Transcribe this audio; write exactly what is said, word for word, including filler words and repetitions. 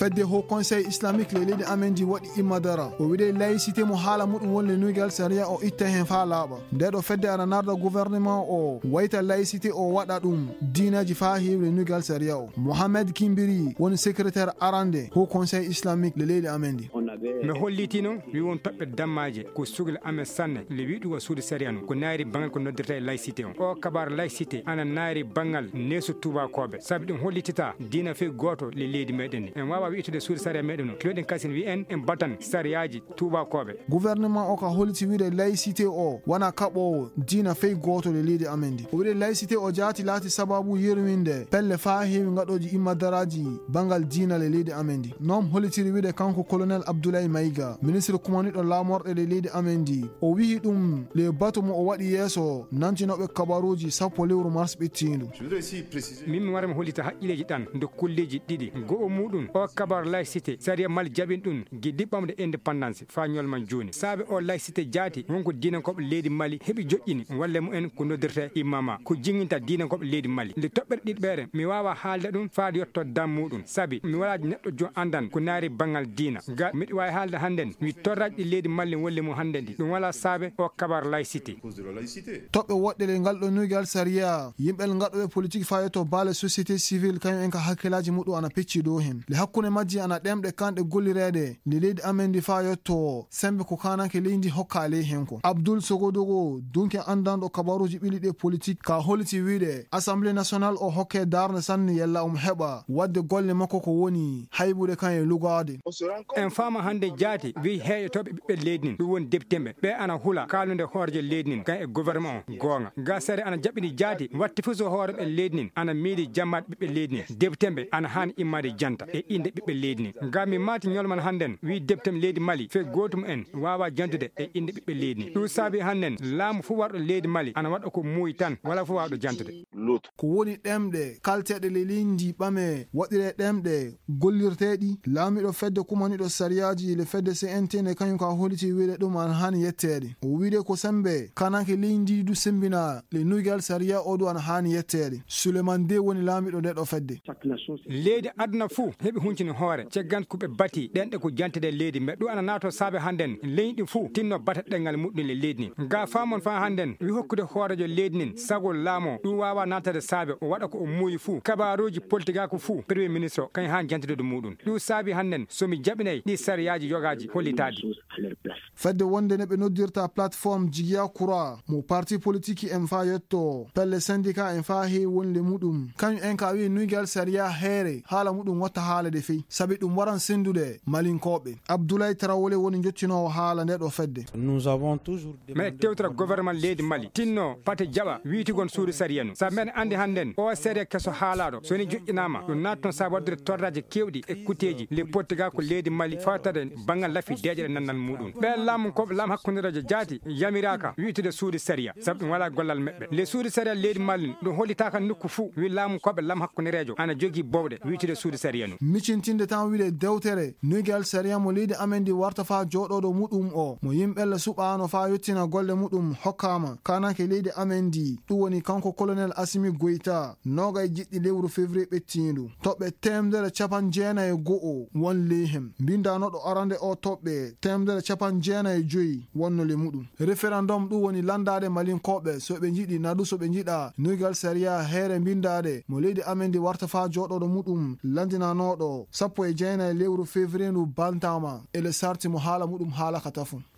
Fedde Haut Conseil Islamique le leydi amen ndi waɗi imma dara. O wiɗe laïcité mo haala muɗum woni le nuygal sariya o itta hen faa laaɓa. Nde ɗo fedde ana narda gouvernement o wayta laïcité o waɗa ɗum diinaji faa heewi le nuygal sariya o. Mohamed Kimbiri woni secrétaire arande Haut Conseil Islamique le leydi amen ndi. Mi hollitino mi won toɓɓe dammaaje ko sugla amen sanne le wiɗugo suudu sariya no ko naari bangal ko noddirta e laïcité on. O kabar laïcité ana naari bangal neesu tuubakooɓe. Sabi ɗum hollitita diina fey gooto le leydi meɗen ni. En waawa wi'tude suudu sariya meɗen no. Kiloɗen kasin wi'en en batan sariyaaji tuubakooɓe. Gouvernement o ka holiti wi'de laïcité o wana kaɓoowo diina fey gooto le leydi amen ndi. O wi'de laïcité o jaati laati sababu yerwinde pelle faa heewi ngaɗooji imma daraaji bangal diina le leydi amen ndi. Noom holitiri wi'de kanko Colonel Abdoulaye Maïga, ministre kumaniɗo laamorɗe le leydi amen ndi. O wi'i ɗum le batu mo o waɗi yeeso nantinooɓe kabaruuji sappo lewru mars ɓittiindu. Min mi wara mi hollita haqqilleeji ɗan ndo kulleeji ɗiɗi. Go'o muuɗum o kabar laïcité sariya Mali jaɓin ɗum gi diɓɓamde indépendance faa ñolma jooni. Saabe o laïcité jaati wonko diinankooɓe leydi Mali heɓi joƴƴini walle mumen ko noddirta imama ko jinginta diinankooɓe leydi Mali. Nde toɓɓere ɗiɗɓere mi waawa haalde ɗum faa yotto dam muuɗum. Sabi mi walaa neɗɗo jo anndan ko naari bangal diina. Ga miɗo waawi haalde hannden mi torraaji ɗi leydi Mali wolle mum hannden ɗi. Ɗum walaa saabe o kabar laïcité. Toɓɓe woɗɗe le ngal ɗo nuygal sariya, yimɓe ngaɗooɓe politik fayotoo baale société civile kañum en ka hakkilaaji muɗum ana pecci dow hen. Le hakkunde majji ana ɗemɗe kanɗe gollireede nde leydi amen ndi fayotoo sembe ko kananke leydi hokka ley hen ko. Abdul Sogodogo, dunke anndanɗo kabaruuji ɓili ɗe politik ka holiti wi'de Assemblée nationale o hokke darnde sanne yalla omo heɓa waɗde golle makko ko woni haybude kan e lugaade. En faama hannde jaati wi heeƴotooɓe ɓiɓɓe leydi nin, ɗum woni deptemɓe. Ɓe ana hula kaalnude hoorejo leydi nin, kan e gouvernement on. Goonga. Ga sariya ana jaɓɓini jaati, watti fuu so hooreɓe leydi nin ana miili jammaade ɓiɓɓe leydi nin. Deptemɓe ana haani immaade janta e innde ɓiɓɓe leydi nin. Ga mi maati ñolman hannden, wi deptemɓe leydi Mali, fey gootum en waawa jantude e innde ɓiɓɓe leydi nin. Ɗum saabi hannden, laamu fuu warɗo leydi Mali ana waɗa ko muuyi tan, wala fuu waawɗo jantude. Ko woni ɗemɗe kalteeɗe le leydi ndi ɓame waɗire ɗemɗe gollirteeɗi, laamiiɗo fedde kumaniiɗo sariyaaji le fedde C N T ne kañum ka holiti wi'de ɗum ana haani yetteede. O wi'de ko sembe kananke leydi ndi du sembina le nuygal sariya o du ana haani yetteede. Suleman De woni laamiiɗo nde ɗo fedde. Leydi aduna fuu heɓi huncini hoore, ceggan ko ɓe bati ɗenɗe ko jantude leydi, mbe ɗum ana naato saabe hannden leydi fuu tinno bata ɗengal muɗɗum le leydi nin. Ga faamon faa hannden wi hokkude hoorejo leydi nin sago laamoo ɗum waawa naatade saabe o waɗa ko o muuyi fuu. Kabaruuji politigaaku fuu, premier ministre o kañum haan jantude ɗum muuɗum. Ɗum saabi hannden so mi jaɓinay ɗi sariyaaji yogaaji hollitaade. Fedde wonde ne ɓe noddirta plateforme Jigiya Kura mo parti politique en faa yetto pelle syndicat en faa heewi wonle muɗum. Kañum en ka wi'i nuygal sariya heere haala muɗum watta haalade fey. Sabi ɗum waran senndude Malinkooɓe. Abdoulaye Traoré woni njottinoowo haala nde ɗo fedde. Nous avons toujours meɗen tewtira gouvernement leydi Mali tinno pate jaɓa wiitigon suudu sariya nu. Sabi meɗen anndi hannden o sariya keso haalaaɗo so ni joƴƴinaama ɗum naatton saabi waɗdude torraaji keewɗi e kuteeji le pottiga ko leydi Mali fawtade banngal lafi deeƴere nannal muɗum. Ɓe laamu ko laamu hakkundereejo jaati yamiraaka wiitude suudu sariya sabu ɗum walaa gollal meɓɓe. Le suudu sariya leydi Mali ɗum hollitaaka nokku fuu wi laamu koɓe laamu hakkundereejo ana jogii bowɗe wiitude suudu sariya nu. Micintinde tan wiɗe dewtere nuygal sariya mo leydi amen ndi warta faa jooɗooɗo muɗum o mo yimɓe le suɓaano faa yottina golle muɗum hokkaama kananke leydi amen ndi. Ɗum woni kanko Colonel Assimi Goïta, noogay jiɗɗi lewru février ɓettiindu. Toɓɓe teemedere capan jeenay e go'o won ley hem. Mbindaanooɗo arande o toɓɓe teemedere capan jeenay e joyi wonno le muɗum. Référendum ɗum woni lanndaade Malinkooɓe so ɓe njiɗi naa du so ɓe njiɗa nuygal sariya heere mbindaade mo leydi amen ndi warta faa jooɗooɗo muɗum lanndinanooɗo sappo e jeenay lewru février ndu bantaama e le sarti mo haala muɗum haalaka tafo.